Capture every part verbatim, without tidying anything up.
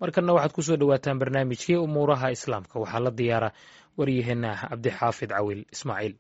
Markanna waxaad kusoo dhowaataan barnaamijkii umuuraha islaamka. Waxaa la diyaara waryaheena Cabdixaafid Cawil Ismaaciil.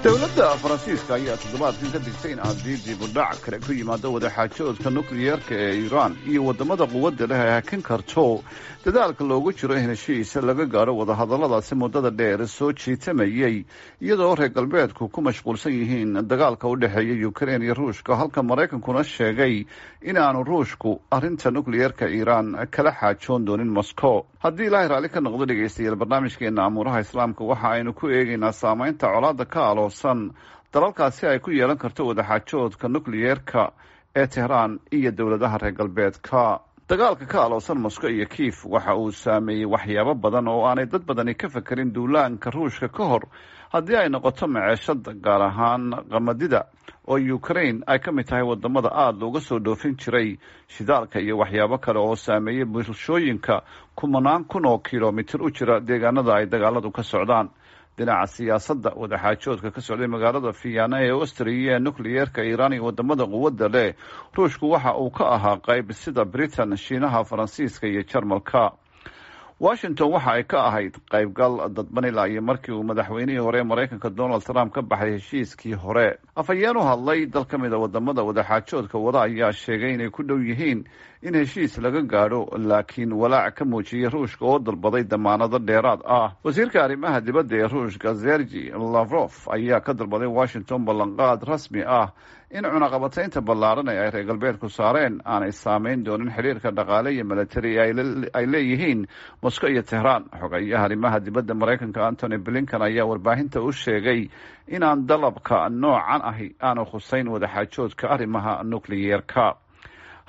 Dowladda Faransiiska ayaa toddobaadkan ka digtay in haddii dibudhac kale ku yimaado wadaxaajoodka nukliyeerka ee Iiraan iyo waddamada quwadda leh ay hakin karto dadaalka loogu jiro in heshiis laga gaadho wadahadalladaasi muddada dheer soo jiitamayey, iyadoo reer galbeedku ku mashquulsan yihiin dagaalka u dhexeeya Ukrein iyo Ruushka, halka Maraykankuna sheegay inaanu Ruushku arrinta nukliyeerka Iiraan kala xaajoon doonin Moscow. Haddii Ilaahay raalli ka noqdo, dhegaystayaal, barnaamijkeena amuuraha Islaamka waxa aynu ku eegaynaa saameynta colaadda ka aloosan dalalkaasi ay ku yeelan karto wadaxaajoodka nukliyeerka ee Tehraan iyo dowladaha reer galbeedka. Dagaalka ka aloosan Moscow iyo Kiif waxa uu saameeyey waxyaabo badan oo aanay dad badani ka fekerin duulaanka Ruushka ka hor, haddii ay noqoto maceeshada, gaar ahaan qamadida oo Ukraine ay ka mid tahay wadamada aada looga soo dhoofin jiray, shidaalka iyo waxyaabo kale oo saameeyey bulshooyinka kumanaan kun oo kilomitir u jira deegaanada ay dagaaladu ka socdaan. Dhinaca siyaasadda, wadaxaajoodka ka socday magaalada Fiyaana ee Austria ee nukliyeerka Iiraan iyo wadamada quwadda leh, Ruushku waxa uu ka ahaa qayb, sida Britain, Shiinaha, Faransiiska iyo Jarmalka. Washington waxa ay ka ahayd qaybgal dadban ilaa iyo markii uu madaxweynihii hore ee Maraykanka Donald Trump ka baxay heshiiskii hore. Afhayeen u hadlay dal ka mid a wadamada wadaxaajoodka wada ayaa sheegay inay ku dhow yihiin in heshiis laga gaadho, laakiin walaac ka muujiyey Ruushka oo dalbaday damaanado dheeraad ah. Wasiirka arrimaha dibadda ee Ruushka Sergi Lavrof ayaa ka dalbaday Washington ballanqaad rasmi ah in cunaqabataynta ballaaran ee ay reer galbeedku saareen aanay saameyn doonin xiriirka dhaqaale iyo milatari ay leeyihiin Moscow iyo Tehraan. Xogayaha arrimaha dibadda Maraykanka Antony Blinken ayaa warbaahinta u sheegay inaan dalabka noocan ahi aanu khuseyn wadaxaajoodka arrimaha nukliyeerka.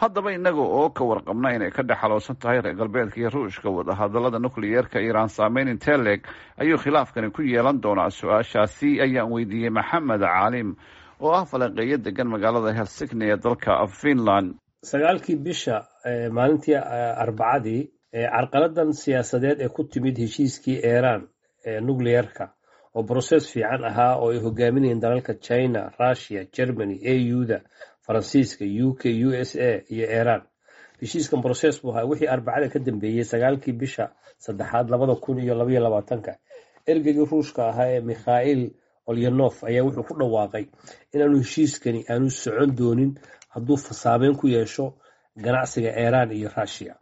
Haddaba, innaga oo ka warqabna inay ka dhexaloosan tahay reer galbeedka iyo Ruushka wadahadalada nukliyeerka Iiraan, saameyn intee leeg ayuu khilaafkani ku yeelan doonaa? Su-aashaasi ayaan weydiiyey Maxamed Caalim oo ah falanqeeyo degan magaalada Helsinki ee dalka Finland. Sagaalkii bisha, maalintii Arbacadii, carqaladan siyaasadeed ee ku timid heshiiskii Iiraan ee nucleerka oo process fiican ahaa oo ay hogaaminayeen dalalka China, Russia, Germany, A U-da, Faransiiska, U K, U S A iyo Iiraan, heshiiskan process buu ahaa. Wixii Arbacada ka dambeeyey, sagaalkii bisha saddexaad labada kun iyo labaiyo labaatanka, ergeygii Ruushka ahaa ee Mikhail Olyanov ayaa wuxuu ku dhawaaqay inaanu heshiiskani aanu socon doonin hadduu saameyn ku yeesho ganacsiga Iiraan iyo Russia,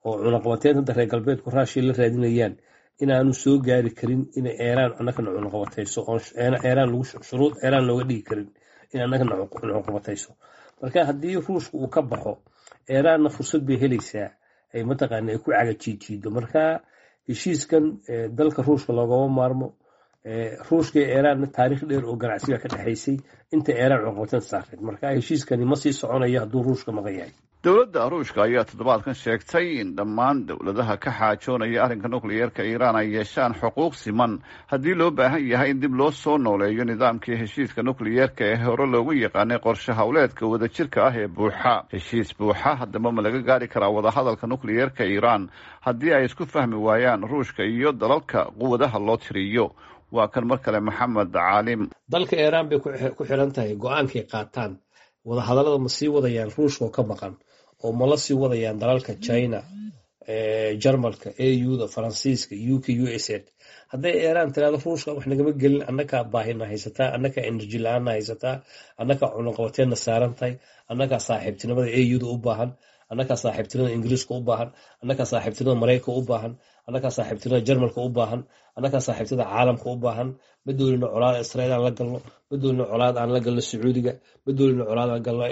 oo cunaqabateynta reer galbeedku Russia la raadinayaan inaanu soo gaari karin inay Iiraan annagana cunaqabatayso, oo Iiraan lagu shuruud Iiraan looga dhigi karin in annagana cunaqabatayso. Marka haddii Ruushka uu ka baxo, Iiraanna fursad bay helaysaa ay mataqaana ay ku cagajiijiido. Marka heshiiskan dalka Ruushka loogama maarmo. Ruushka iyo Iiraanna taariikh dheer oo ganacsiga ka dhexaysay inta Iiraan cunaqabateynta saarneed. Marka heshiiskani ma sii soconayo hadduu Ruushka maqan yahay. Dowladda Ruushka ayaa toddobaadkan sheegtay in dhammaan dowladaha ka xaajoonaya arrinka nukliyeerka Iiraan ay yeeshaan xuquuq siman haddii loo baahan yahay in dib loo soo nooleeyo nidaamkii heshiiska nukliyeerka ee hore loogu yaqaanay qorshe howleedka wadajirka ah ee buuxa. Heshiis buuxa haddaba ma laga gaari karaa wadahadalka nukliyeerka Iiraan haddii ay isku fahmi waayaan Ruushka iyo dalalka quwadaha loo tiriyo? Waa kan mar kale Maxamed Caalim. Dalka Iiraan bay ku xiran tahay go-aankay qaataan. Wadahadallada ma sii wadayaan Ruushka oo ka maqan, oo ma la sii wadayaan dalalka China, Jarmalka, A U-da, Faransiiska, U K, U S A? Hadday Iiraan tiraado Ruushka wax nagama gelin, annakaa baahina haysataa, annakaa energy la-aanna haysataa, annakaa cunaqabateenna saaran tahay, annakaa saaxiibtinimada A U-da u baahan, annakaa saaxiibtinimada Ingiriiska u baahan, annakaa saaxiibtinimada Maraykanka u baahan, annakaa saaxiibtinimada Jarmalka u baahan, annakaa saaxiibtinimada caalamka u baahan, ma doonino colaad Israiil aan la galno, ma doonino colaad aan la galno Sacuudiga, ma doonino colaad aan galno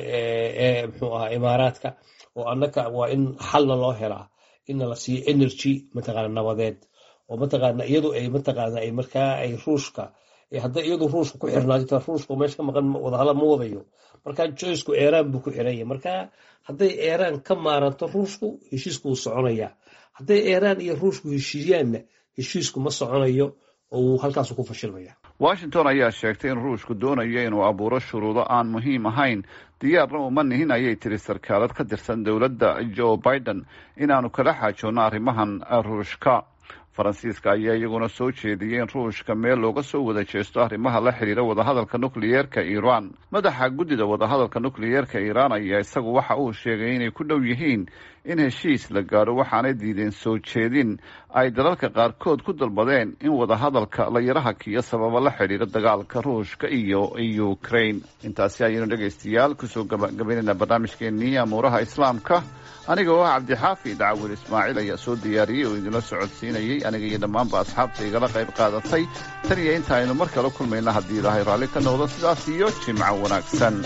muxuu ahaa Imaaraadka, oo annaka waa in xalna loo helaa inna la siiyo energy mataqaana nabadeed oo mataqaana iyadu ay mataqaana ay markaa ay Ruushka hadday iyadu Ruushka ku xirnaato, Ruushka meesha ka maqan wadahadal ma wadayo. Marka choiceku Iiraan buu ku xiran yahay. Marka hadday Iiraan ka maaranto Ruushku, heshiisku wuu soconayaa. Hadday Iiraan iyo Ruushku heshiiyaanna, heshiisku ma soconayo oo wuu halkaasu ku fashilmaya. Washington ayaa sheegtay in Ruushku doonayo inuu abuuro shuruudo aan muhiim ahayn. Diyaarna uma nihin, ayay tiri sarkaalad ka tirsan dowladda Joe Biden, inaanu kala xaajoonno arrimahan Ruushka. Faransiiska ayaa iyaguna soo jeediyey in Ruushka meel looga soo wada jeesto arrimaha la xidhiira wadahadalka nukliyeerka Iiraan. Madaxa guddida wadahadalka nukliyeerka Iiraan ayaa isagu waxa uu sheegay inay ku dhow yihiin in heshiis la gaadho, waxaanay diideen soo jeedin ay dalalka qaarkood ku dalbadeen in wadahadalka la yara hakiyo sababa la xidhiira dagaalka Ruushka iyo Ukraine. Intaasi ayaynu, dhegaystayaal, kusoo gabagabaynayna barnaamijkeenii amuuraha Islaamka. Aniga oo ah Cabdixaafi Dacwil Ismaaciil ayaa soo diyaariyey oo idinla socodsiinayey. Aniga iyo dhammaanba asxaabta igala qayb qaadatay, tan iyo inta aynu mar kale kulmayna, haddii Ilaahay raalli ka noqdo, sidaas iyo jimco wanaagsan.